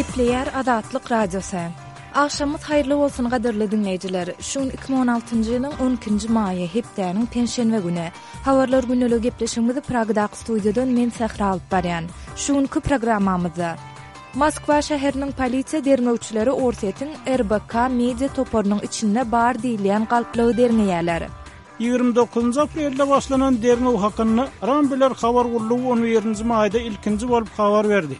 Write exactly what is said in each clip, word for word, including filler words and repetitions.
Gepleýär Azatlyk Radiosy. Agşamyňyz haýyrly bolsun gadyrly diňleýjiler. Şu gün iki müň on altynjy ýylyň on ikinji maýy, hepdäniň penşenbe güni. Habarlar gündeligi gepleşigimizi Pragadaky studiýadan men Sähra alyp barýan. Şu günki programmamyzda Moskwa şäheriniň polisiýa derňewçileri Orsýetiň R B K media toparynyň içinde bar diýilýän galplygy derňeýärler. Ýigrimi dokuzynjy aprelde başlanan derňew hakynda Rambler habar gullugy on birinji maýda ilkinji bolup habar berdi.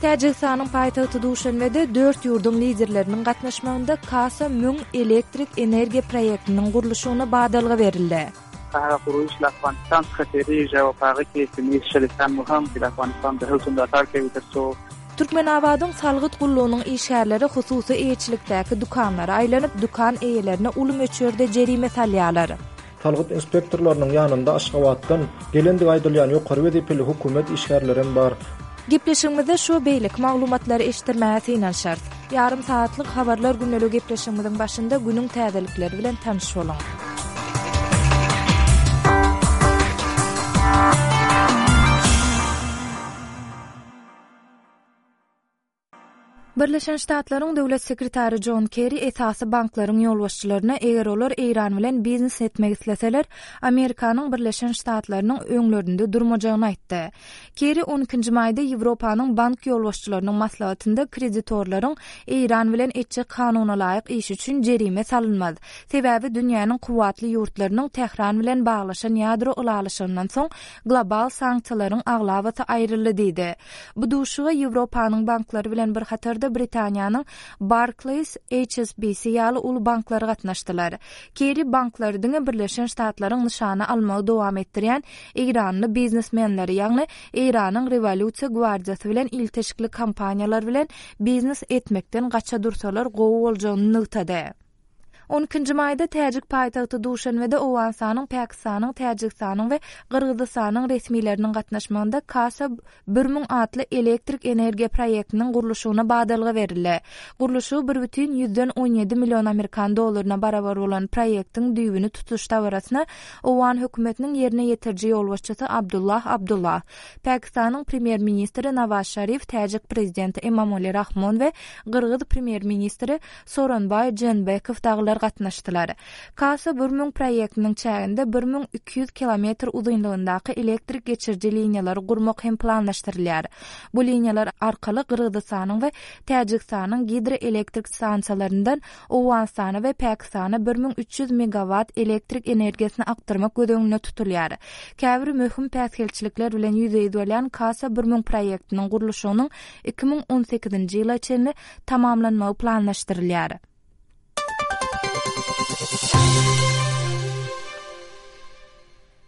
Täjigistanyň paýtagty Duşanbede dört ýurduň liderleriniň gatnaşmagynda Kasa müň elektrik energiýa proýektiniň gurluşygyna badalga berildi. Türkmenabadyň salgyt gullugynyň işgärleri hususy eýeçilikdäki dükanlara aýlanyp, dükan eýelerine uly möçberde jerime salýarlar. Salgyt inspektorlarynyň ýanynda Aşgabatdan gelendigi aýdylýan ýokary wezipeli hökümet işgärleri bar. Gepleşigimizde şu beýleki maglumatlary eşitdirmäge synanyşarys. Ýarym saatlyk habarlar günlük gepleşigimiziň başynda günüň täzelikleri bilen tanyş boluň. Birleşen Ştatlaryň Döwlet sekretary John Kerry esasy banklaryň ýolbaşçylaryna eger olar Eýran bilen biznes etmek isleseler, Amerikanyň Birleşen Ştatlarynyň öňlerinde durmajagyny aýtdy. Kerry on ikinji maýda Ýewropanyň bank ýolbaşçylarynyň maslahatynda kreditorlaryň Eýran bilen etjek kanuna laýyk iş üçin jerime salynmaz. Sebäbi dünýäniň kuwwatly ýurtlarynyň Tähran bilen baglaşan ýadro ylalaşygyndan soň global sanksiýalaryň aglabasy aýryldy diýdi. Bu duşuga Ýewropanyň banklary bilen bir hatarda Britaniýanyň Barclays, H S B C ýaly uly banklary gatnaşdylar. Kerry banklary diňe Birleşen Ştatlaryň nyşana almagy dowam etdirýän Eýranly biznesmenleri, ýagny Eýranyň rewolýusiýa gwardiýasy bilen ilteşikli kompaniýalar bilen biznes etmekden gaça dursalar gowy boljagyny nygtady. On ikinji maýda Täjik paýtagty Duşanbede Owganystanyň, Pakistanyň, Täjigistanyň we Gyrgyzystanyň resmileriniň gatnaşmagynda Kasa bir müň atly elektrik energiýa proýektiniň gurluşygyna badalga berildi. Gurluşygy bir bütin ýüzden on ýedi million amerikan dollaryna barabar bolan proýektiň düýbüni tutuş dabarasyna Owgan hökümetiniň ýerine ýetiriji ýolbaşçysy Abdullah Abdullah, Pakistanyň premýer-ministri Nawaz Şarif, Täjik prezidenti Emomali Rahmon we Gyrgyz premýer-ministri Soronbaý Jeenbekow dagylar gatnaşdylar. Kasa bir müň proýektiniň çäginde bir müň iki ýüz kilometr uzynlygyndaky elektrik geçiriji liniýalary gurmak hem planlaşdyrylýar. Bu liniýalar arkaly Gyrgyzystanyň we Täjigistanyň gidroelektrik stansiýalaryndan Owganystana we Pakistana bir müň üç ýüz megawatt elektrik energiýasyny akdyrmak göz öňünde tutulýar. Käbir möhüm päsgelçilikler bilen ýüzbe-ýüz bolýan Kasa bir müň proýektiniň gurluşygynyň iki müň on sekizinji ýyla çenli tamamlanmagy planlaşdyrylýar.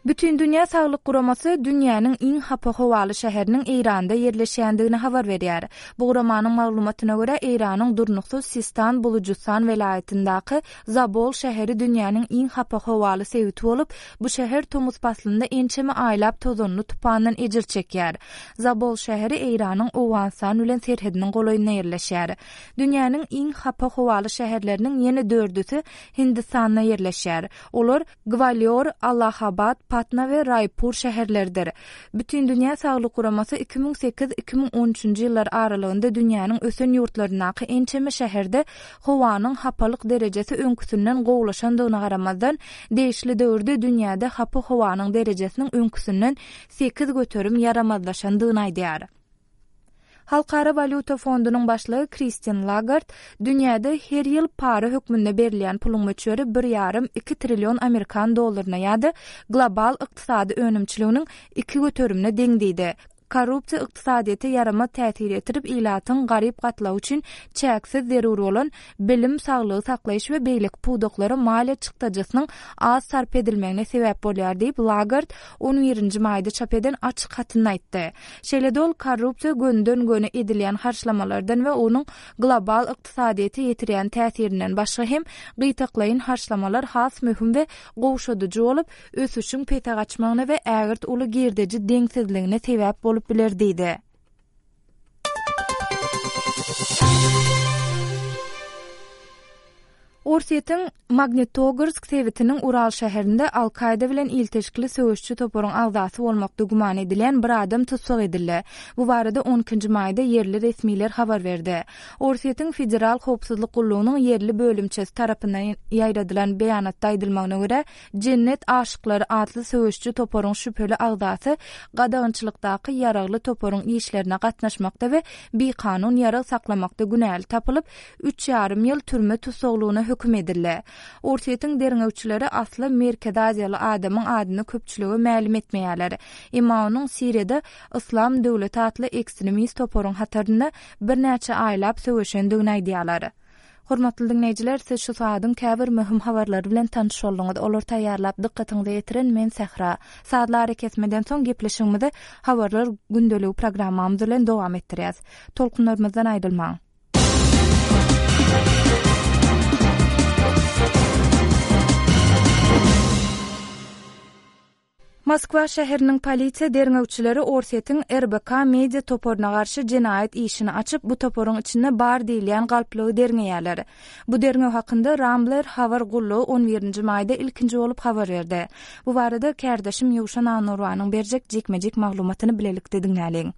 Bütün Dünýä Saglyk Guramasy dünýäniň iň hapa howaly şäheriniň Eýranda ýerleşýändigini habar berýär. Bu guramanyň maglumatyna görä Eýranyň durnuksyz Sistan Bulujystan welaýatyndaky Zabol şäheri dünýäniň iň hapa howaly sebiti bolup, bu şäher tomus paslynda ençeme aýlap tozanly tupandan ejir çekýär. Zabol şäheri Eýranyň Owganystan bilen serhediniň golaýynda ýerleşýär. Dünýäniň iň hapa howaly şäherleriniň ýene dördüsi Hindistanda ýerleşýär. Olar Gwalior, Allahabad, Patna we Raýpur şäherleridir. Bütün Dünýä Saglyk Guramasy iki müň sekiz iki müň on üçünji ýyllar aralygynda dünýäniň ösen ýurtlaryndaky ençeme şäherde howanyň hapalyk derejesi öňküsinden gowulaşandygyna garamazdan, degişli döwürde dünýäde hapa howanyň derejesiniň öňküsinden sekiz göterim ýaramazlaşandygyny aýdýar. Halkara Walýuta fondunyň başlygy Kristin Lagard dünýäde her ýyl para hökmünde berilýän puluň möçberi bir ýarym iki trillion amerikan dollaryna ýa-da global ykdysady önümçiliginiň iki göterimine deň diýdi. Korrupsiýa ykdysadyýete ýaramaz täsir etirip, ilatyň garyp gatlagy üçin çäksiz zerur bolan bilim, saglygy saklaýyş we beýleki pudaklara maliýe çykdajysynyň az sarp edilmegine sebäp bolýar diýip Lagard on birinji maýda çap eden açyk hatynda aýtdy. Şeýle-de ol korrupsiýa gönden-göni edilýän harçlamalardan we onuň global ykdysadyýete ýetirýän täsirinden başga hem gytaklaýyn harçlamalar has möhüm we gowşadyjy bolup, ösüşiň pese gaçmagyna we ägirt uly girdeji deňsizligine sebäp bolup biler diýdi. Orsýetiň Magnitogorsk sebitiniň Ural şäherinde Al-Kaýda bilen ilteşikli söweşçi toparyň agzasy bolmakda güman edilýän bir adam tussag edildi. Bu barada on ikinji maýda ýerli resmiler habar berdi. Orsýetiň Federal howpsuzlyk gullugynyň ýerli bölümçesi tarapyndan ýaýradylan beýanatda aýdylmagyna görä, Jennet aşyklary atly söweşçi toparyň şübheli agzasy gadagançylykdaky ýaragly toparyň işlerine gatnaşmakda we bikanun ýarag saklamakda günäli tapylyp, üç ýarym ýyl türme tussaglygyna höküm edildi. Orsýetiň derňewçileri asly Merkezi Aziýaly adamyň adyny köpçülige mälim etmeýärler. Emma onuň Siriýada Yslam döwleti atly ekstremist toparyň hatarynda birnäçe aýlap söweşendigini aýdýarlar. Hormatly diňleýjiler, siz şu saadyň käbir möhüm habarlary bilen tanyş bolduňyz. Olar taýýarlap dykgatyňyza ýetiren men Sähra. Saatlar arakesmeden soň gepleşigimizi Habarlar gündeligi programmamyz bilen dowam etdirýäs. Tolkunlarymyzdan aýrylmaň. Moskwa şäheriniň polisiýa derňewçileri Orsýetiň R B K media toparyna garşy jenaýat işini açyp, bu toparyň içinde bar diýilýän galplygy derňeýärler. Bu derňew hakynda Rambler habar gullugy on birinji maýda ilkinji bolup habar berdi. Bu barada kärdeşim Ýowşan Anurwanyň berjek jikme-jik maglumatyny bilelikde diňläliň.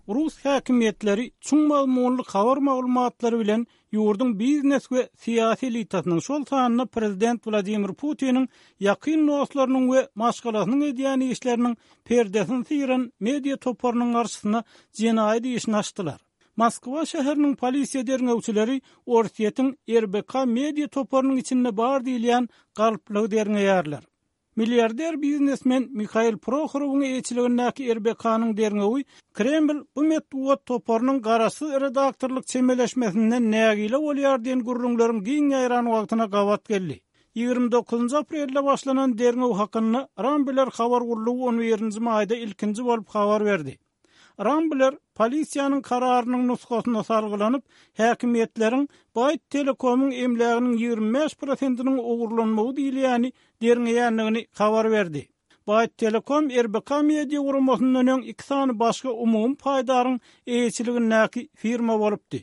Rus häkimiýetleri çuň mazmunly habar maglumatlary bilen ýurduň biznes we syýasy elitasynyň, şol sanda prezident Wladimir Putiniň ýakyn dostlarynyň we maşgalasynyň edýän işleriniň perdesini syran media toparynyň garşysyna jenaýat işini açdylar. Moskwa şäheriniň polisiýa derňewçileri Orsýetiň R B K media toparynyň içinde bar diýilýän galplygy derňeýärler. Milyarder biznesmen Mikhail Prokhorowyň eýeçiligindäki R B K-nyň derňewi Kreml bu metbugat toparynyň garaşsyz redaktorlyk çemeleşmesinden nägile bolýar diýen gürrüňleriň giň ýaýran wagtyna gabat geldi. Ýigrimi dokuzynjy aprelde başlanan derňew hakynda Rambler habar gullugy on birinji maýda ilkinji bolup habar berdi. Rambler polisiýanyň kararynyň nusgasyna salgylanyp, häkimiýetleriň Byte Telekomyň emläginiň ýigrimi bäş prosentiniň ogurlanmagy diýilýäni derňeýändigini habar berdi. Byte Telekom R B K media guramasyndan öň iki sany başga umumy paýdaryň eýeçiligindäki firma bolupdy.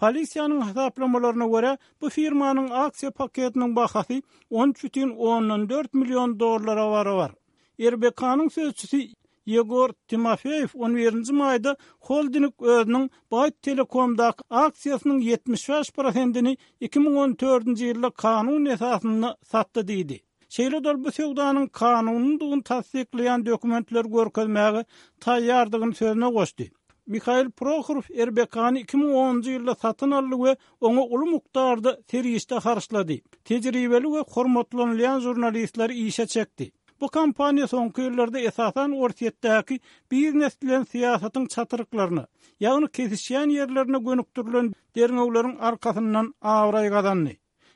Polisiýanyň hasaplamalaryna görä, bu firmanyň aksiýa paketiniň bahasy on üç bütin ondan dört million dollara barabar. R B K-nyň sözçüsi Ýegor Timofeýew on birinji maýda holding özüniň Byte Telekomdaky aksiýasynyň ýetmiş bäş prosentini iki müň on dördünji ýylda kanun esasynda satdy diýdi. Şeýle dol bu söwdanyň kanunydygyny tassyklaýan dokumentler görkezmäge taýýardygyny sözüne goşdy. Mikhail Prokhorov R B K-ny iki müň onunjy ýylda satyn aldy we oňa uly mukdarda serişde harçlady. Tejribeli we hormatlanylýan jurnalistleri işe çekdi. Bu kompaniýa soňky ýyllarda esasan Orsýetdäki biznes bilen syýasatyň çatyryklaryna, ýagny kesişýän ýerlerine gönükdirilen derňewleriň arkasyndan abraý gazandy.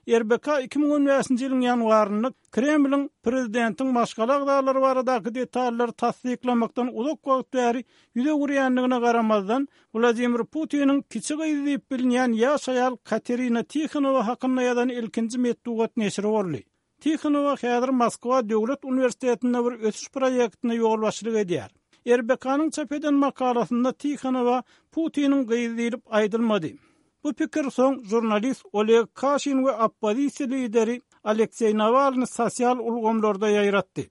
R B K iki müň on bäşinji ýylyň ýanwarynda Kremliň prezidentiň maşgala agzalary baradaky detallary tassyklamakdan uzak wagt bäri ýüz öwürýändigine garamazdan, Wladimir Putiniň kiçi gyzy diýip bilinýän ýaş aýal Katerina Tihonowa hakynda ýazan ilkinji metbugat neşiri boldy. Tihonowa häzir Moskwa Döwlet Uniwersitetinde bir ösüş proýektine ýolbaşçylyk edýär. R B K-nyň çap eden makalasynda Tihonowa Putiniň gyzy diýlip aýdylmady. Bu pikir soň jurnalist Oleg Kaşin we oppozisiýa lideri Alekseý Nawalny sosial ulgamlarda ýaýratdy.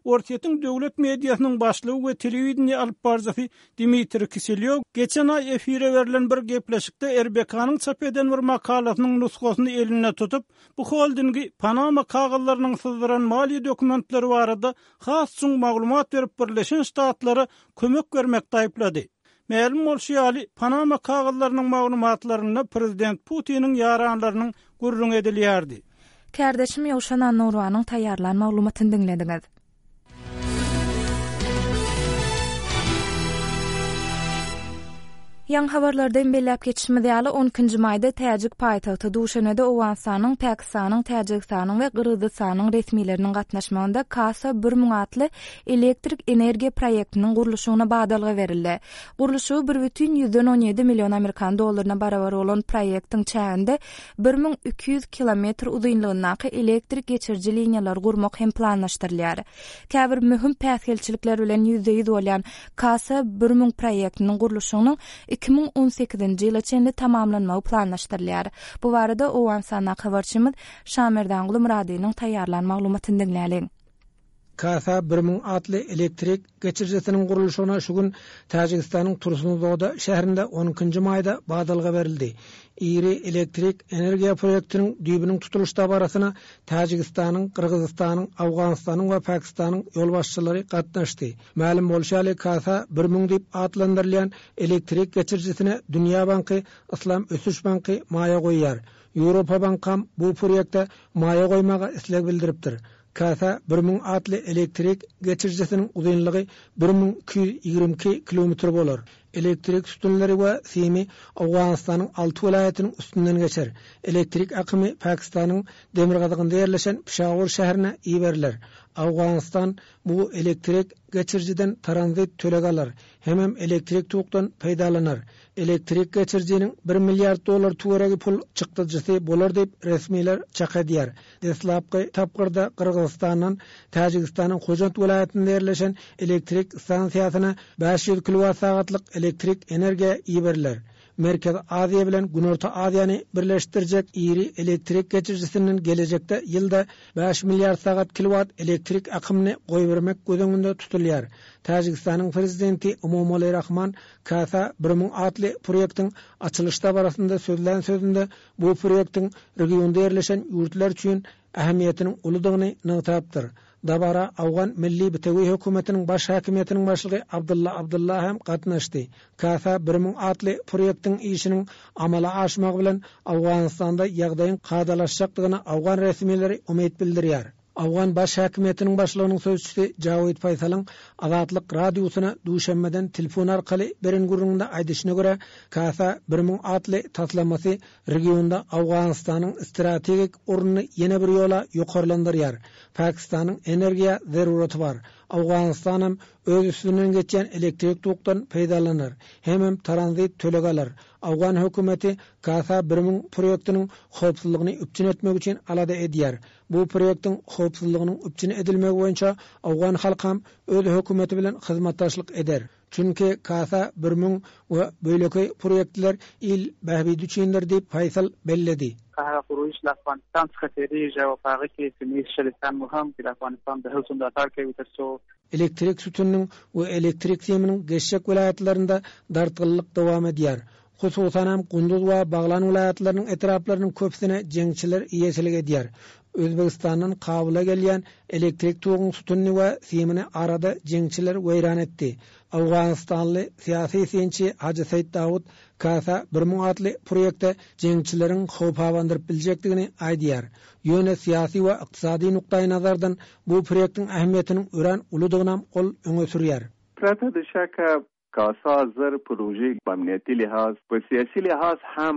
Orsýetiň döwlet mediasynyň başlygy we telewideniýe alyp baryjysy Dmitriý Kiselýow geçen aý efire berlen bir gepleşikde R B K-nyň çap eden bir makalasynyň nusgasyny elinde tutup, bu holdingi Panama kagyzlarynyň syzdyran maliýe dokumentleri barada has çuň maglumat berip Birleşen Ştatlara kömek bermekde aýyplady. Mälim bolşy ýaly, Panama kagyzlarynyň maglumatlarynda prezident Putiniň ýaranlarynyň gürrüň edilýärdi. Kärdeşim Ýowşan Anurwanyň taýýarlan maglumatyny diňlediňiz. Ýaň habarlardan belläp geçişimiz ýaly on ikinji maýda Täjik paýtagty Duşanbede Owganystanyň, Pakistanyň, Täjigistanyň we Gyrgyzystanyň resmileriniň gatnaşmagynda Kasa bir müň atly elektrik energiýa proýektiniň gurluşygyna badalga berildi. Gurluşygy bir bütin ýüzden on ýedi million amerikan dollaryna barabar bolan proýektiň çäginde bir müň iki ýüz kilometr uzynlygyndaky elektrik geçiriji liniýalary gurmak hem planlaşdyrylýar. Käbir möhüm päsgelçilikler bilen ýüzde ýüz bolýan Kasa bir müň proýektiniň gurluşygynyň iki müň on sekizinji ýyla çenli tamamlanmagy planlaşdyrylýar. Bu barada Owganystandaky habarçymyz Şamerdanguly Myradynyň taýýarlan maglumatyny diňläliň. Kasa bir müň atly elektrik geçirijisiniň gurluşygyna şu gün Täjigistanyň Tursunzoda şäherinde on ikinji maýda badalga berildi. Iri elektrik energiýa proýektiniň düýbüniň tutulyş dabarasyna Täjigistanyň, Gyrgyzystanyň, Awganystanyň we Pakistanyň ýolbaşçylary gatnaşdy. Mälim bolşy ýaly, Kasa bir müň diýip atlandyrylýan elektrik geçirijisine Dünýä Banky, Islam Ösüş Banky maýa goýýar. Ýewropa Bankam bu proýekte maýa goýmaga isleg bildiripdir. Kasa bir müň atly elektrik geçirijisiniň uzynlygy bir müň iki ýüz ýigrimi iki kilometr bolar. Elektrik sütünleri we simi Awganystanyň alty welaýatynyň üstünden geçer. Elektrik akymy Pakistanyň demirgazygynda ýerleşen Pişawur şäherine iberiler. Awganystan bu elektrik geçirijiden tranzit töleg alar, hemem elektrik tokdan peýdalanar. Elektrik geçirijiniň bir milliard dollar töweregi pul çykdajysy bolar diýip resmiler çak edýär. Deslapky tapgyrda Gyrgyzystandan Täjigistanyň Hojant welaýatynda ýerleşen elektrik stansiýasyna bäş ýüz kilowat sagatlyk elektrik energiýa iberiler. Merkez Aziýa bilen Günorta Aziýany birleşdirjek iri elektrik geçirijisinden gelejekde ýylda bäş milliard sagat kilowat elektrik akymyny goýbermek göz öňünde tutulýar. Täjigistanyň prezidenti Emomali Rahman Kasa bir müň atly proýektiň açylyş dabarasynda sözlän sözünde bu proýektiň regionda ýerleşen ýurtlar üçin ähmiýetiniň uludygyny nygtapdyr. Dabara Awgan Milli Bitewi hökümetiniň baş häkimiýetiniň başlygy Abdulla Abdulla hem gatnaşdy. Kasa bir müň atly proýektiň işiniň amala aşmagy bilen Awganystanda ýagdaýyň kadalaşjakdygyna Awgan resmileri umyt bildirýär. Awgan baş häkimiýetiniň başlygynyň sözçüsi Jawid Faýsalyň Azatlyk radiosyna duşenbeden telefon arkaly beren gürrüňinde aýdyşyna görä, Kasa bir müň atly taslamasy regionda Awganystanyň strategik ornuny ýene bir ýola ýokarlandyrýar. Pakistanyň energiýa zeruraty bar. Awganistanam öz üstünden geçýän elektrik tokdan peýdalanar, hemem tranzit töleg alar. Awgan hökümeti Kasa bir müň proýektiniň howpsuzlygyny üpjün etmek üçin alada edýär. Bu proýektiň howpsuzlygynyň üpjün edilmegi boýunça Awgan halkam öz hökümeti bilen hyzmatdaşlyk eder. Çünki Kasa bir müň we beýleki proýektler il bähbidi üçindir diýip Faýsal belledi. هغه خروج له افغانستان څخه تیریږي او په هغه کې سیمه شریکان مو هم د افغانستان د هڅو ملاتړ کوي ترڅو Elektrik sütüniniň we elektrik siminiň geçjek welaýatlarynda dartgynlyk dowam edýär. Hususan hem Gunduz we Baglan welaýatlarynyň etraplarynyň köpüsine jeňçiler eýeçilik edýär. Özbegistandan Kabula gelýän elektrik toguň sütünini we simini arada jeňçiler weýran etdi. Awganistanly syýasy synçy Hajy Seýit Dawud Kasa bir müň atly proýekte jeňçileriň howp abandyryp biljekdigini aýdýar. Ýöne syýasy we ykdysady nukdaý nazardan bu proýektiň ähmiýetiniň örän uludygyny ol öňe sürýär. پرته د شکه کاسا زر پروژې په امنیتي لحاظ، په سیاسي لحاظ هم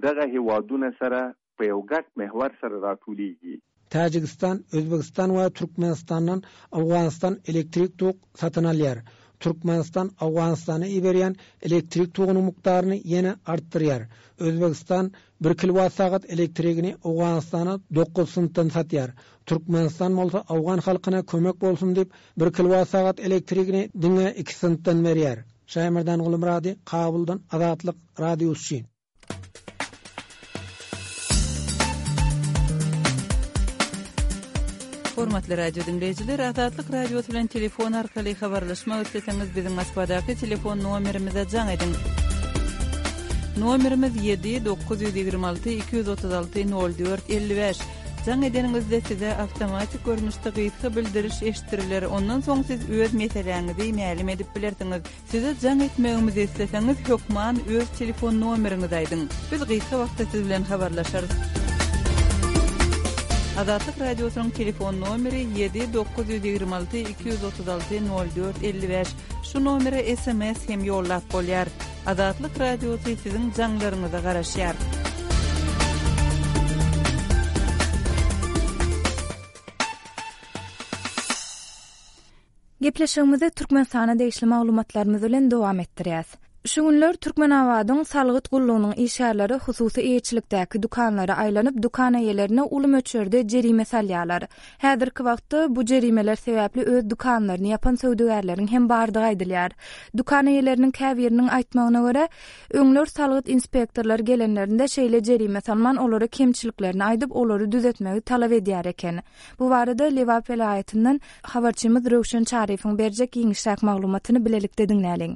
دغه هیوادونه سره په یو ګډ محور سره راټولیږي. Täjigistan, Özbegistan we Türkmenistandan Awganistan elektrik tok satyn alýar. Türkmenistan Awganystana iberýän elektrik togunyň mukdaryny ýene artdyrýar. Özbegistan bir kilowat sagat elektrigini Awganystana dokuz sentden satýar. Türkmenistan bolsa Awgan halkyna kömek bolsun diýip bir kilowat sagat elektrigini diňe iki sentden berýär. Şaýmerdan Gulmurady, Kabuldan Azatlyk Radiosy. Hormatly radio dinleýjiler, Azatlyk Radiosy bilen telefon arkaly habarlaşmak isleseňiz biziň Moskwadaky telefon nomerimize jaň ediň. Nomerimiz ýedi dokuz ýüz ýigrimi alty iki ýüz otuz alty nol dört elli bäş. Jaň edeniňizde size awtomatik görnüşde gysga bildiriş eşitdiriler. Ondan soň siz öz meseläňizi mälim edip bilersiňiz. Size jaň etmegimizi isleseňiz hökman öz telefon nomeriňizi aýdyň. Biz gysga wagtda siz bilen habarlaşarys. Azatlyk Radiosynyň telefon nomeri ýedi dokuz ýüz ýigrimi alty iki ýüz otuz alty nol dört elli bäş. Şu nomere S M S hem ýollap bolýar. Azatlyk Radiosy siziň jaňlaryňyza garaşýar. Gepleşigimizi Türkmenistana degişli maglumatlarymyz bilen dowam etdirýäs. Şu günler Türkmenabadyň salgyt gullugynyň işgärleri hususy eýeçilikdäki dükanlara aýlanyp, dükan eýelerine uly möçberde jerime salýarlar. Häzirki wagtda bu jerimeler sebäpli öz dükanlaryny ýapan söwdagärleriň hem bardygy aýdylýar. Dükan eýeleriniň käbiriniň aýtmagyna görä, öňler salgyt inspektorlary gelenlerinde şeýle jerime salman, olara kemçiliklerini aýdyp, olary düzetmegi talap edýär eken. Bu barada Lebap welaýatyndan habarçymyz Röwşen Çaryýewiň berjek giňişräk maglumatyny bilelikde diňläliň.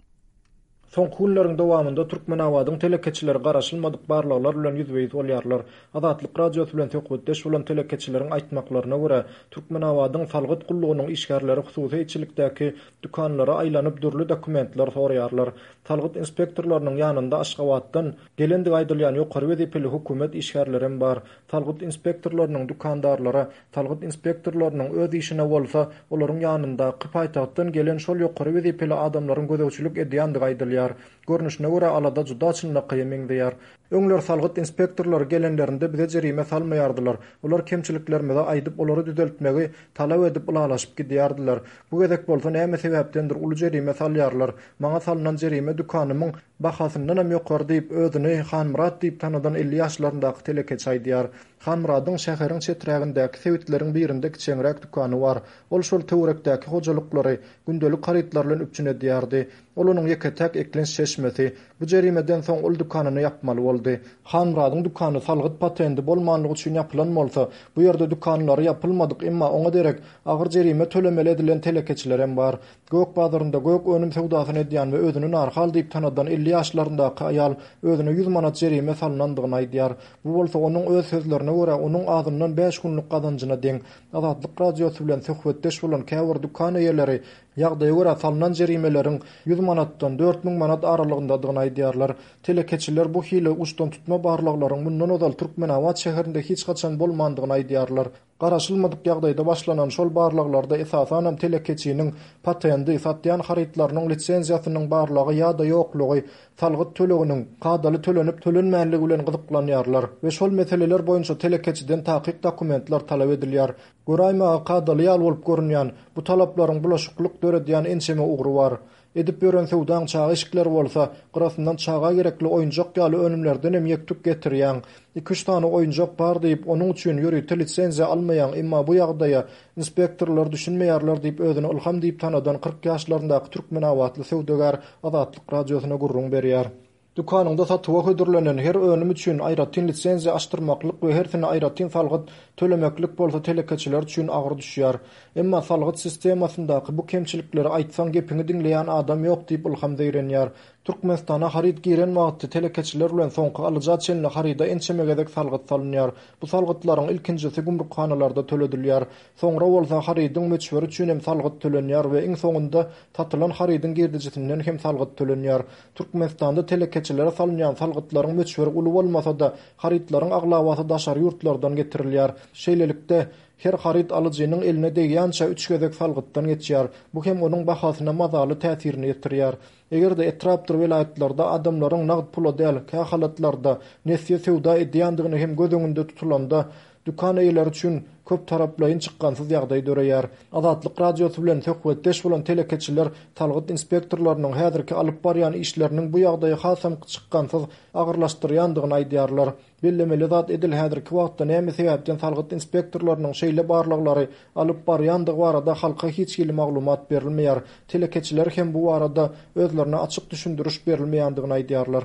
Soňky günleriň dowamynda Türkmenabadyň telekeçileri garaşylmadyk barlaglar bilen ýüzbe-ýüz bolýarlar. Azatlyk Radiosy bilen söhbetdeş bolan telekeçileriň aýtmaklaryna görä, Türkmenabadyň salgyt gullugynyň işgärleri hususy eýeçilikdäki dükanlara aýlanyp dürli dokumentler soraýarlar. Salgyt inspektorlarynyň ýanynda Aşgabatdan gelendigi aýdylýan ýokary wezipeli hökümet işgärleri bar. Salgyt inspektorlarynyň dükandarlara, salgyt inspektorlarynyň öz işine bolsa, olaryň ýanyndaky paýtagtdan gelen şol ýokary wezipeli adamlaryň gözegçilik edýändigi aýdylýar. Görnüşine görä alada juda çynlakaýa meňzeýär. Öňler salgyt inspektorlary gelenlerinde bize jerime salmaýardylar. Olar kemçiliklerimizi aýdyp, olary düzeltmegi talap edip ylalaşyp gidýärdiler. Bu gezek bolsa näme sebäpdendir uly jerime salýarlar. Maňa salynan jerime dükanymyň bahasyndan hem ýokary diýip özüni Hanmyrat diýip tanadan elli ýaşlaryndaky telekeçi aýdýar. Hanmyradyň şäheriň çeträgindäki sebitleriň birinde kiçeňräk dükany bar. Ol şol töwerekdäki hojalyklary gündelik harytlar bilen üpjün edýärdi. Ol onuň ýeke-täk eklenç çeşmesi. Bu jerimeden soň ol dükanyny ýapmaly boldy. Hanmyradyň dükany salgyt patendi bolmanlygy üçin ýapylan bolsa, bu ýerde dükanlary ýapylmadyk, emma oňa derek agyr jerime tölemeli edilen telekeçiler hem bar. Gök bazarynda gök önüm söwdasyny edýän we özüni Narhal diýip tanadan elli ýaşlaryndaky aýal özüne ýüz manat jerime salynandygyny aýdýar. Bu bolsa onuň öz sözlerine görä onuň azyndan bäş günlük gazanjyna deň. Azatlyk Radiosy bilen söhbetdeş bolan käbir dükan eýeleri ýagdaýa görä salynan jerimeleriň ýüz manatdan dört müň manat aralygyndadygyny aýdýarlar. Telekeçiler bu hili uçdan tutma barlaglaryň mundan ozal Türkmenabat şäherinde hiç haçan bolmandygyny aýdýarlar. Garaşylmadyk ýagdaýda başlanan şol barlaglarda esasanam telekeçiniň patendi, satýan harytlarynyň lisenziýasynyň barlagy ýa-da ýoklugy, salgyt töleginiň kadaly tölenip tölenmänligi bilen gyzyklanýarlar we şol meseleler boýunça telekeçiden takyk dokumentler talap edilýär. Göräýmäge kadaly ýaly bolup görünýän bu talaplaryň bulaşyklyk döredýän ençeme ugry bar. Edip ýören söwdaň çaga eşikleri bolsa, gyrasyndan çaga gerekli oýunjak ýaly önümlerden hem ýektuk getirýän. Iki-üç sany oýunjak bar diýip, onuň üçin ýörite lisenziýa almaýan, emma bu ýagdaýa inspektorlar düşünmeýärler diýip özüni Ilham diýip tanadan kyrk ýaşlaryndaky Türkmenabatly söwdagär Azatlyk Radiosyna gürrüň berýär. Dükanyňda satuwa hödürlenen her önüm üçin aýratyn lisenziýa açdyrmaklyk we hersine aýratyn salgyt tölemeklik bolsa telekeçiler üçin agyr düşýär. Emma salgyt sistemasyndaky bu kemçilikleri aýtsaň gepiňi diňleýän adam ýok diýip Ilham zeýrenýär. Türkmenistana haryt giren wagty telekeçiler bilen soňky alyja çenli haryda ençeme gezek salgyt salynýar. Bu salgytlaryň ilkinjisi gümrükhanalarda töledilýär. Soňra bolsa harydyň möçberi üçin hem salgyt tölenýär we iň soňunda satylan harydyň girdejisinden hem salgyt tölenýär. Türkmenistanda telekeçilere salynýan salgytlaryň möçberi uly bolmasa-da, harytlaryň aglabasy daşary ýurtlardan getirilýär. Şeýlelikde, her haryt alyjynyň eline degýänçä üç gezek salgytdan geçýär. Bu hem onuň bahasyna mazaly täsirini ýetirýär. Eger-de etrapdyr welaýatlarda adamlaryň nagt pula däl, kähalatlarda nesýe söwda edýändigini hem göz öňünde tutulanda, dükan eýeleri üçin köp taraplaýyn çykgansyz ýagdaý döreýär. Azatlyk Radiosy bilen söhbetdeş bolan telekeçiler salgyt inspektorlarynyň häzirki alyp barýan işleriniň bu ýagdaýy hasam çykgansyz agyrlaşdyrýandygyny aýdýarlar. Bellemeli zat edil häzirki wagtda näme sebäpden salgyt inspektorlarynyň şeýle barlaglary alyp barýandygy barada halka hiç hili maglumat berilmeýär. Telekeçiler hem bu barada özlerine açyk düşündiriş berilmeýändigini aýdýarlar.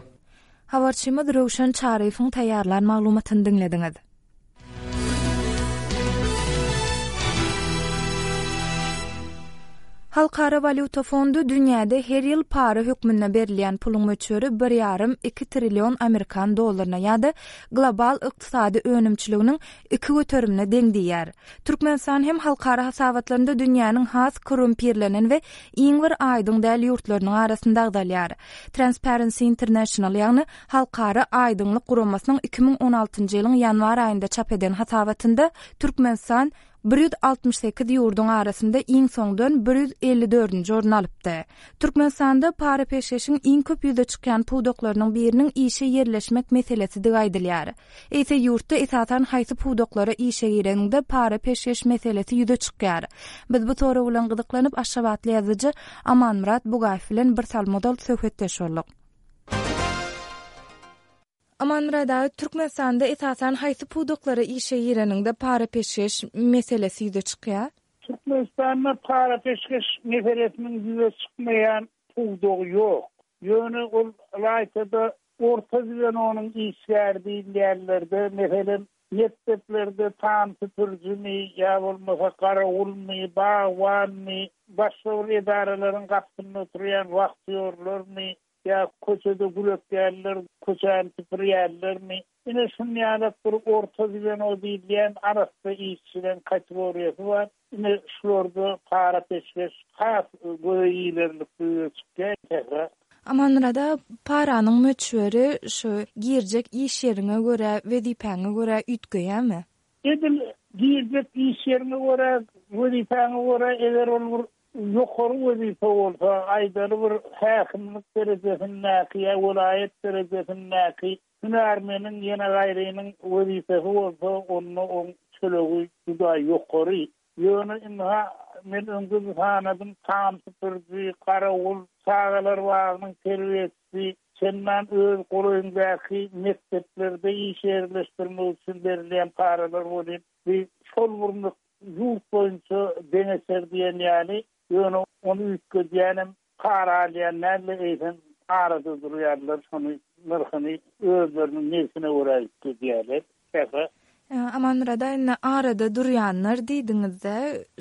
Habarçymyz Röwşen Çaryýewiň taýýarlan maglumatyny diňlediňiz. Halkara walýuta fondy dünýäde her ýyl para hökmünde berilýän puluň möçberi bir ýarym iki trillion amerikan dollaryna ýa-da global ykdysady önümçiliginiň iki göterimine deň diýýär. Türkmenistan hem halkara hasabatlarynda dünýäniň has korrumpirlenen we iň bir aýdyň däl ýurtlarynyň arasynda agzalýar. Transparency International, ýagny Halkara Aýdyňlyk Guramasynyň iki müň on altynjy ýylyň ýanwar aýynda çap eden hasabatynda Türkmenistan bir ýüz altmyş sekiz ýurduň arasynda iň soňdan bir ýüz elli dördünji orun alypdy. Türkmenistanda para peşgeşiň iň köp ýüze çykýan pudaklarynyň biriniň işe ýerleşmek meselesidir aýdylýar. Eýse ýurtda esasan haýsy pudaklara işe gireninde para peşgeş meselesi ýüze çykýar. Biz bu sorag bilen gyzyklanyp Aşgabatly ýazyjy Amanmyrat Bugaýew bilen bir salmodal söhbetdeş bolduk. Amanmyrat aga, Türkmenistanda esasan haýsy pudaklara işe gireniňde para-peşgeş meselesi ýüze çykýar? Türkmenistanda para-peşgeş meselesiniň ýüze çykmaýan pudagy ýok. Ýöne ol ylaýta-da orta zwenonyň işgäri diýilýänlerde, meselem, mekdeplerde tam süpürijimi ýa bolmasa garawulmy, bagbanmy, başga bir edaralaryň gapysynda oturýan wahtýorlarmy, ýa köçede gül ekýänler, köçäni süpürýänlermi, ine şuny ýalak bir orta zweno diýilýän arassa işçileriň kategoriýasy bar. Ine şularda para-peşgeş has göze ilerlikli ýüze çykýar. Sähra. Amanmyrat aga, paranyň möçberi şu girjek iş ýeriňe görä, wezipäňe görä üýtgeýärmi? Edil girjek iş ýeriňe görä, wezipäňe görä, eger ol bir ýokary wezipe bolsa, aýdaly bir häkimlik derejesindäki ýa welaýat derejesindäki hünärmeniň ýene gaýrynyň wezipesi bolsa, onda oň tölegi juda ýokary. Ýöne ynha, men öňde sanadym, tam süpüriji, garawul, çagalar bagynyň terbiýeçisi, çendan öz golaýyňdaky mekdeplerde iş ýerleşdirmek üçin berilýän paralar bolýar. Bi şol bir ýurt boýunça deňeçer diýen ýaly, ýöne ony üýtgedýänem para alýan däl-de, eýsem arada durýarlar, şony nyrhyny özleriniň nebsine görä üýtgedýärler. Sähra. Amanmyrat aga, indi arada durýanlar diýdiňiz-de,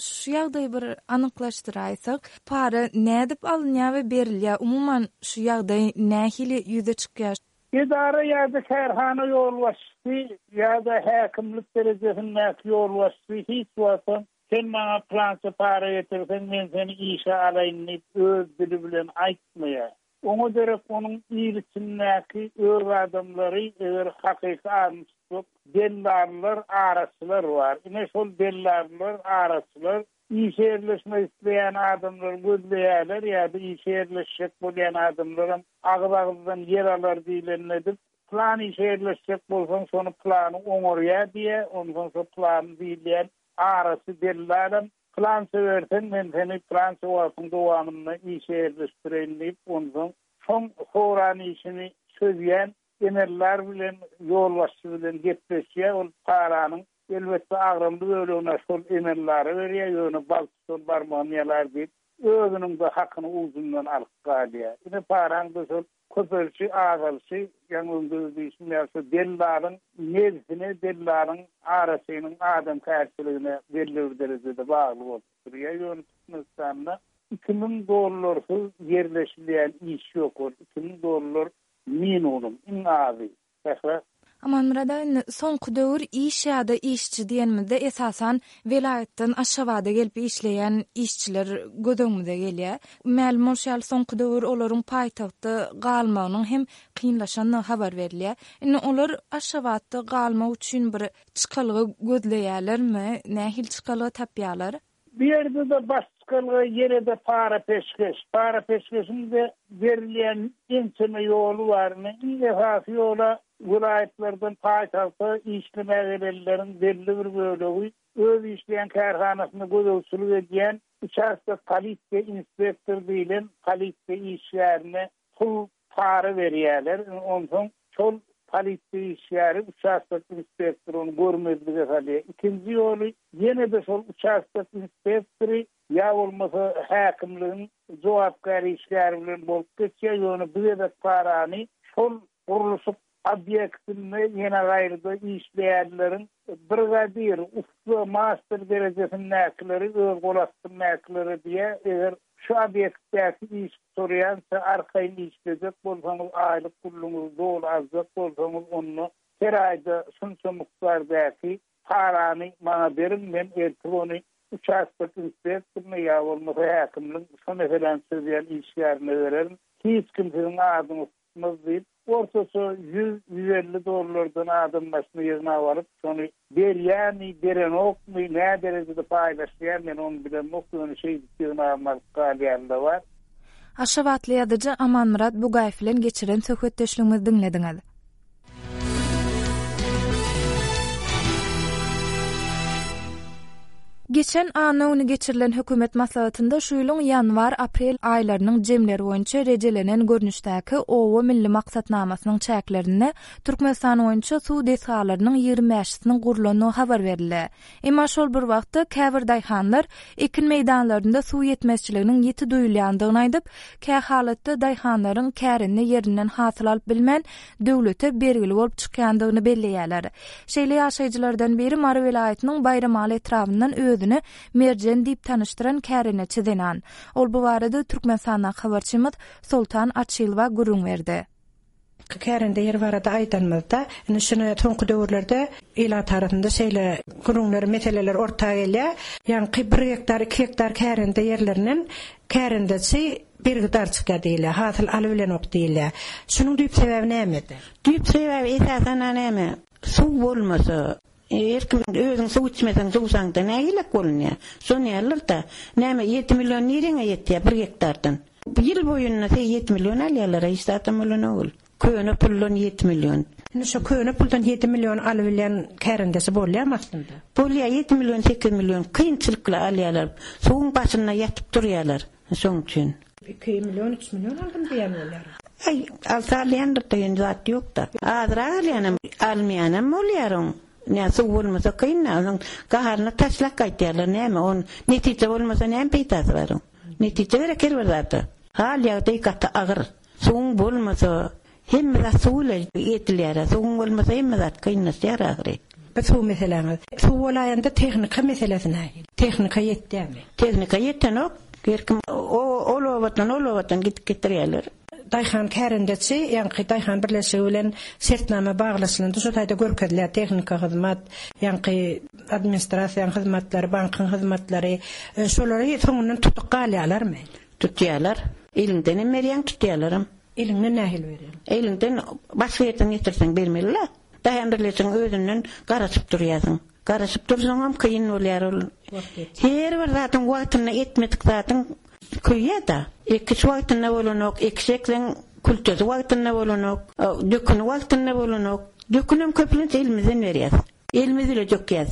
şu ýagdaýy bir anyklaşdyraýsak, para nädip alynýar we berilýär? Umuman, şu ýagdaý nähili ýüze çykýar? Edara ýa-da kärhana ýolbaşçysy ýa-da häkimlik derejesindäki ýolbaşçysy hiç wagtam sen maňa pylança para getirseň, men seni işe alaýyn diýip öz dili bilen aýtmaýar. Oňa derek onuň il içindäki öz adamlary, eger hakyky adyny tutsak, dellallar, araçylar bar. Ine şol dellallar, araçylar işe ýerleşmek isleýän adamlary gözleýärler ýa-da işe ýerleşjek bolýan adamlaram agyz-agyzdan ýer alar diýlenini edip, plan işe ýerleşjek bolsaň, şony plany oňarýar diýýär, onsoň şo plany diýilýän araçy dellalam plança berseň, men seni plança wagtyň dowamynda işe ýerleşdireýin diýip, onsoň şoň soran işini çözýän emellar bilen, ýolbaşçy bilen gepleşýär, ol paranyň elbetde agramly bölegini şol emellara berýär, ýöne bal tutan barmagyny ýalar diýip, özüniň-de hakyny ujundan alyp galýar. Ine paraň-da şol köpelişi, azalyşy, ýaňy öňde diýşim ýaly, şo dellalyň nebsine, dellalyň araçynyň adamkärçiligine belli bir derejede bagly bolup durýar. Ýöne Türkmenistanda iki müň dollarsyz ýerleşilýän iş ýok, ol iki müň dollar minimum, iň azy. Sähra. Amanmyrat aga, indi soňky döwür iş ýa-da işçi diýenimizde esasan welaýatdan Aşgabada gelip işleýän işçiler göz öňümize gelýär. Mälim bolşy ýaly, soňky döwür olaryň paýtagtda galmagynyň hem kynlaşandygy habar berilýär. Indi olar Aşgabatda galmak üçin bir çykalga gözleýärlermi? Nähili çykalga tapýarlar? Bu ýerde-de baş çykalga ýene-de para-peşgeş. Para-peşgeşiň-de berilýän ençeme ýoly bar. Indi iň esasy ýola welaýatlardan paýtagta işlemäge gelenleriň belli bir bölegi öz işleýän kärhanasynda gözegçilik edýän uçastok polisiýa inspektor diýlen polisiýa işgärine pul para berýärler. Onsoň şol polisiýa işgäri uçastok inspektory ony görmezlige salýar. Ikinji ýoly ýene-de şol uçastok inspektory ýa bolmasa häkimligiň jogapkär işgäri bilen bolup geçýär. Ýöne bu gezek parany şol gurluşyk obýektinde ýene gaýryda işleýänleriň brigadir, ussa, master derejesindäkileri öz gol astyndakylara diýýär. Eger şu obýektdäki iş gutarýança arkaýyn işlejek bolsaňyz, aýlyk puluňyzy doly aljak bolsaňyz, onda her aýda şunça mukdardäki parany maňa beriň, men ertir ony uçastok inspektoryna ýa bolmasa häkimligiň şo meseläni çözýän işgärine bererin. Hiç kim siziň adyňyzy tutmaz diýip, ortaça ýüz, ýüz elli dollardan adam başyna ýygnap alyp, şony berýärmi, berenokmy, nä derejede paýlaşýar, men ony bilemok, ýöne şeýdip ýygnap alyp galýan-da bar. Aşgabatly ýazyjy Amanmyrat Bugaýew bilen geçiren söhbetdeşligimizi diňlediňiz. Geçen anna güni geçirilen hökümet maslahatynda şu ýylyň ýanwar-aprel aýlarynyň jemleri boýunça rejelenen görnüşdäki Oba milli maksatnamasynyň çäklerinde Türkmenistan boýunça suw desgalarynyň ýigrimi bäşisiniň gurlandygy habar berildi. Emma şol bir wagtda käbir daýhanlar ekin meýdanlarynda suw ýetmezçiliginiň ýiti duýulýandygyny aýdyp, kähalatda daýhanlaryň kärende ýerinden hasyl alyp bilmän, döwlete bergili bolup çykýandygyny belleýärler. Şeýle ýaşaýjylardan biri Mary welaýatynyň Baýramaly etrabyndan özüni Merjen diýip tanyşdyran kärendeçi zenan. Ol bu barada Türkmenistandaky habarçymyz Soltan Açylowa gürrüň berdi. Kärende ýeri barada aýdanymyzda, indi şuny soňky döwürlerde ilat arasynda şeýle gürrüňler, meseleler orta gelýär. Ýaňky bir gektar, iki gektar kärende ýerlerinden kärendeçi bergidar çykýar diýilýär, hasyl alybilenok diýilýär. Şunuň düýp sebäbi nämede? Düýp sebäbi esasan näme? Suw bolmasa, her kim özüň suw içmeseň suwsaňda nägilek bolunýar? Şony ýalyr-da. Näme ýedi million nireňe ýetýär bir gektardan? Ýyl boýunda ýedi million alýarlar, hiç zatam bolanok. Köne puldan ýedi million. Indi şu köne puldan ýedi million alybilýän kärendesi bolýarmy aslynda? Bolýar, ýedi million, sekiz million kynçylykly alýarlar. Suwuň başynda ýatyp durýarlar. Şoň üçin. Iki million, üç million aldym diýen bolýar. Aý, alsa alýandyr diýen zat ýok-da. Azrak alýanam, almaýanam bolýar oň. Näme suw bolmasa kyn, onuň gaharyny taşlap gaýtýarlar, näme on netije bolmasa näme peýdasy bar oň? Netije gerek her bir zada. Hal ýagdaý gaty agyr. Suwuň bolmasa hemme zat suw ile edilýär. Suwuň bolmasa hemme zat kynlaşýar ahyry. Bu suw meseläňiz. Suw bolaýanda tehnika meselesi nähili? Tehnika ýetýärmi? Tehnika ýetenok. Her kim ol obadan, ol obadan gidip getirýärler. Daýhan kärendeçi, ýaňky Daýhan birleşigi bilen şertnama baglaşylanda şu taýda görkezilýär tehnika hyzmat, ýaňky administrasiýanyň hyzmatlary, bankyň hyzmatlary, e, şolary soňundan tutup galýarlarmy? Tutýarlar. Eliňden hem berýän, tutýarlaram. Eliňden nähili berýän? Eliňden başga ýerden getirseň bermeli-le. Daýhan birleşigiň özünden garaşyp durýarsyň. Garaşyp dursaňam kyn bolýar ol. Her bir zatyň wagtynda etmedik zatyň köýýär-de. Ekiş wagtynda bolanok, ekiş ekseň kültesi wagtynda bolanok, döküni wagtynda bolanok. Dökünem köplenç elimizden berýär. Elimiz ile dökýär.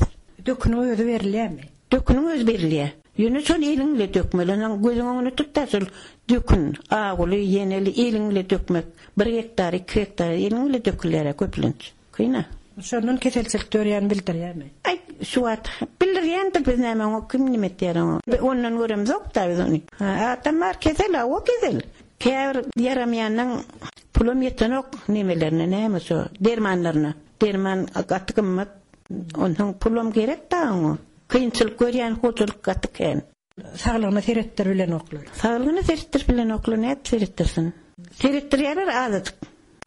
Döküniň özi berilýärmi? Döküniň özi berilýär. Ýöne şol eliň ile dökmeli. Onuň gözüň öňüne tut-da şol dökün, aguly, ýeneli eliň ile dökmek. Bir gektar, iki gektar eliň ile dökülýär köplenç. Kyna. Şondan keselçilik dörýän bildirýärmi? Aý, şu wagt bildirýändir biz näme oňa kim nime etýär oňa. Ondan göremzok da biz ony. Ha, adam bar kesel, o kesel. Käbir ýaramaýandan pulum ýetenok nemelerine, näme şo dermanlaryna. Derman gaty gymmat. Ondan pulum gerek da oňa. Kynçylyk görýän hojalyk gaty kän. Saglygyna seretdir bilenoklar. Saglygyna seretdir bilenoklar, nädip seretdirsin? Seretdirýärler azajyk.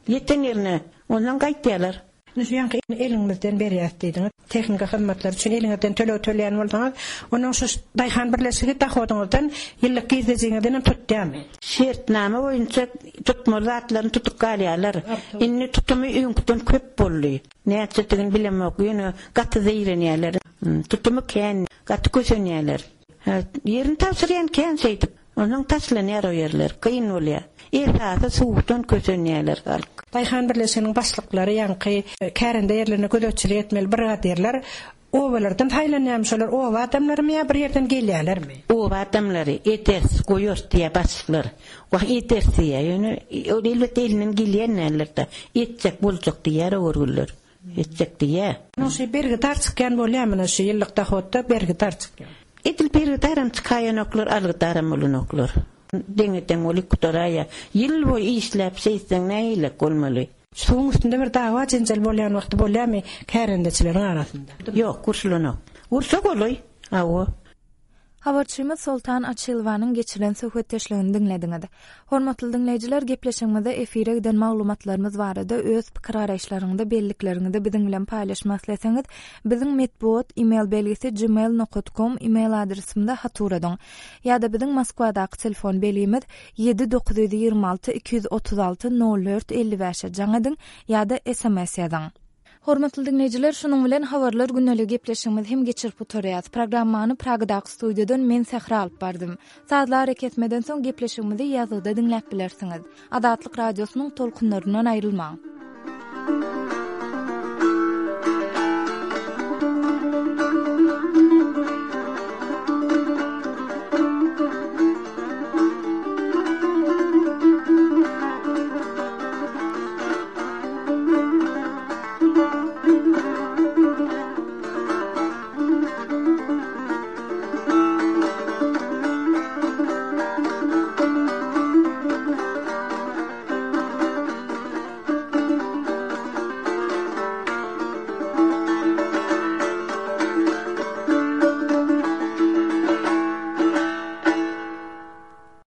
Ýeten ýerine ondan gaýtýarlar. Indi şu ýaňky eliňizden berýär diýdiňiz. Tehnika hyzmatlary üçin eliňizden töleg töleýän bolsaňyz, onuň şu Daýhan birleşigi dahodyňyzdan ýyllyk girdejiňizden hem tutýarmy? Şertnama boýunça tutmaly zatlaryny tutup galýarlar. Indi tutumy öňküden köp boldy. Näçedigini bilemok, ýöne gaty zeýrenýärler. Tutumy kän, gaty kösenýärler. Ýerini tabşyrýan kän şeýdip. Onuň taşlanýar o ýerler, kyn bolýar. Esasy suwdan kösenýärler halk. Daýhan birleşiginiň başlyklary ýaňky kärende ýerlerine gözegçilik etmeli brigadirler obalardan saýlanýarmy şolar oba adamlarymy ýa bir ýerden gelýärlermi? Oba adamlary eders, goýar diýe başlyklar. Wah eders diýe, ýöne ol elbetde elinden gelýänlerdir. Etjek boljak diýär o görgüller. Etjek diýe. Şu bergidar çykýan bolýarmy şu ýyllyk dahodda bergidar çykýar? Edil bergidaram çykaýanoklar, algydaram bolanoklar. Deňeden bolup gutaraýa. Ýyl boýy işläp şeýtseň nähili bolmaly? Suwuň üstünde bir dawa jenjel bolýan wagty bolýarmy kärendeçileriň arasynda? Ýok, urşulanok. Ursa golaý. Awa. Habarçymyz Soltan Açylowanyň geçiren söhbetdeşligini diňlediňiz. Hormatly diňleýjiler, gepleşigimizde efire giden maglumatlarymyz barada öz pikir garaýyşlaryňyzy, bellikleriňizi biziň bilen paýlaşmak isleseňiz, biziň metbugat e-mail belgisi gmail nokta com e-mail adresimizde hat uradyň. Ýa-da biziň Moskwadaky telefon belgimiz ýedi dokuz ýüz ýigrimi alty iki ýüz otuz alty nol dört elli bäşe jaň ediň ýa-da S M S ýazyň. Hormatly diňleýjiler, şunuň bilen habarlar gündelik gepleşigimizi hem geçirip gutarýarys. Programmany Pragadaky studiýadan men Sähra alyp bardym. Sazly arakesmeden soň gepleşigimizi ýazgyda diňläp bilersiňiz. Azatlyk radiosynyň tolkunlaryndan aýrylmaň.